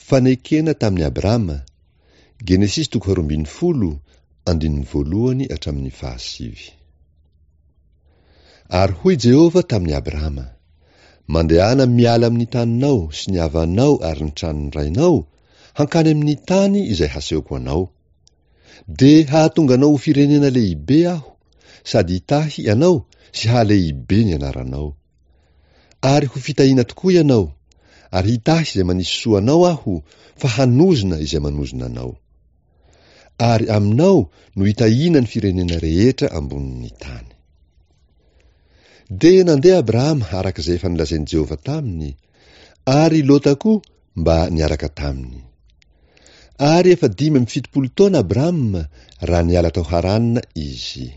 Fanekena tamin'i Abrama, Genesisy toko faharoambinifolo, andininy voalohany hatramin'ny fahasivy. Ary hoy Jehovah tamin'i Abrama, Mandehana miala amin'ny taninao sy ny havanao ary ny tranon'ny rainao, hankany amin'ny tany izay hasehoko anao. Dia hahatonga anao ho firenena lehibe Aho, sady hitahy anao sy hahalehibe ny anaranao. Ary ho fitahiana tokoa ianao, ary hitahy izay manisy soa anao Aho, fa hanozona izay manozona anao. Ary aminao no hitahiana ny firenena rehetra ambonin'ny tany. Dia nandeha Abrahama araka izay efa nolazain'i Jehovah taminy, ary Lota koa mba niaraka taminy. Ary efa 75 taona Abrahama raha niala tao Harana izy.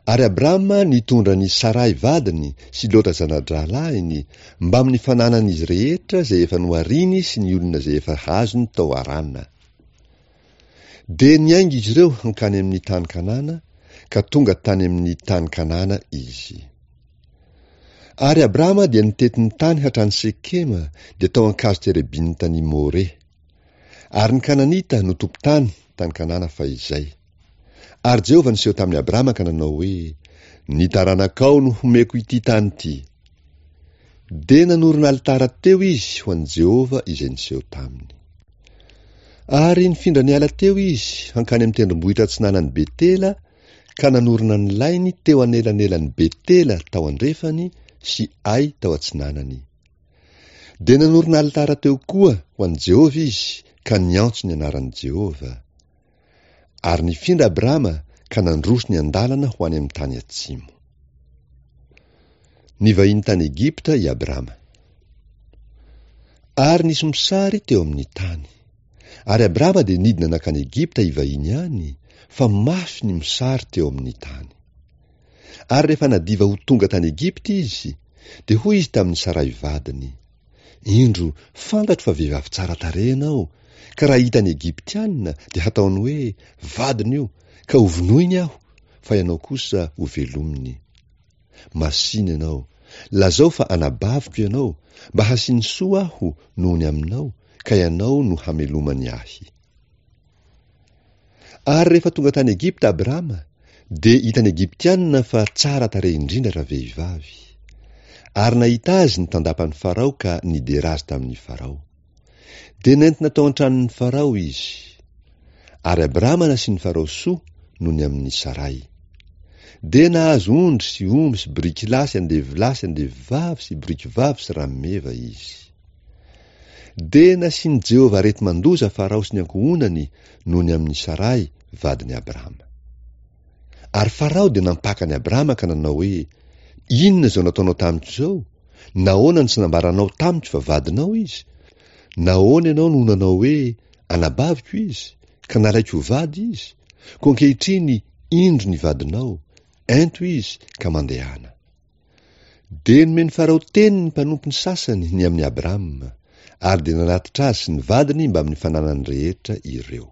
Ary Abrama nitondra an'i Saray vadiny sy Lota zana-drahalahiny mbamin'ny fananan'izy rehetra izay efa nohariny sy ny olona izay efa azony tao Harana. Dia niainga izy ireo hankany amin'ny tany Kanana, ka tonga tany amin'ny tany Kanana izy. Ary Abrama dia nitety ny tany hatrany Sekema, dia tao an-kazo terebinta-n'i More. Ary ny Kananita no tompon-tany tany Kanana fahizay. Ary Jehovah niseho tamin'i Abrama ka nanao hoe, Ny taranakao no homeko ity tany ity. Dia nanorina alitara teo izy ho an'i Jehovah izay niseho taminy. Ary nifindra niala teo izy hankany amin'ny tendrombohitra atsinanan'i Betela ka nanorina ny lainy teo anelanelan'i Betela tao andrefany sy Ay tao atsinanany. Dia nanorina alitara teo koa ho an'i Jehovah izy ka niantso ny anaran'i Jehovah. Ary nifindra Abrama ka nandroso niandalana ho any amin'ny tany atsimo. Nivahiny tany Egypta i Abrama. Ary nisy mosary teo amin'ny tany. Ary Abrama dia nidina nankany Egypta hivahiny any, fa mafy ny mosary teo amin'ny tany. Ary rehefa nadiva ho tonga tany Egypta izy, dia hoy izy tamin'i Saray vadiny, Indro, fantatro fa vehivavy tsara tarehy ianao, ka raha hitan'ny Egyptiana dia hataony hoe, 'Vadiny io', ka hovonoiny aho, fa ianao kosa hovelominy. Masìna ianao, lazao fa anabaviko ianao, mba hasiany soa aho noho ny aminao, ka ianao no hamelomany ahy. Ary rehefa tonga tany Egypta Abrama, dia hitan'ny Egyptiana fa tsara tarehy indrindra ravehivavy. Ary nahita azy ny tandapan'i Farao ka nidera azy tamin'i Farao. Dia nentina tao an-tranon'i Farao izy. Ary Abrama nasian'i Farao soa noho ny amin'i Saray. Dia nahazo ondry sy omby sy borikilahy sy andevolahy sy andevovavy sy borikivavy sy rameva izy. Dia nasian'i Jehovah areti-mandoza Farao sy ny ankohonany noho ny amin'i Saray, vadin'i Abrama. Ary Farao dia nampaka an'i Abrama ka nanao hoe, Inona izao nataonao tamiko izao? Nahoana no tsy nambaranao tamiko fa vadinao izy? Nahoana ianao no nanao hoe, Anabaviko izy, ka nalaiko ho vady izy? Koa ankehitriny indro ny vadinao, ento izy ka mandehana. Dia nomen'i Farao teny ny mpanompony sasany ny amin'i Abrama, ary dia nanatitra azy sy ny vadiny mbamin'ny fananany rehetra ireo.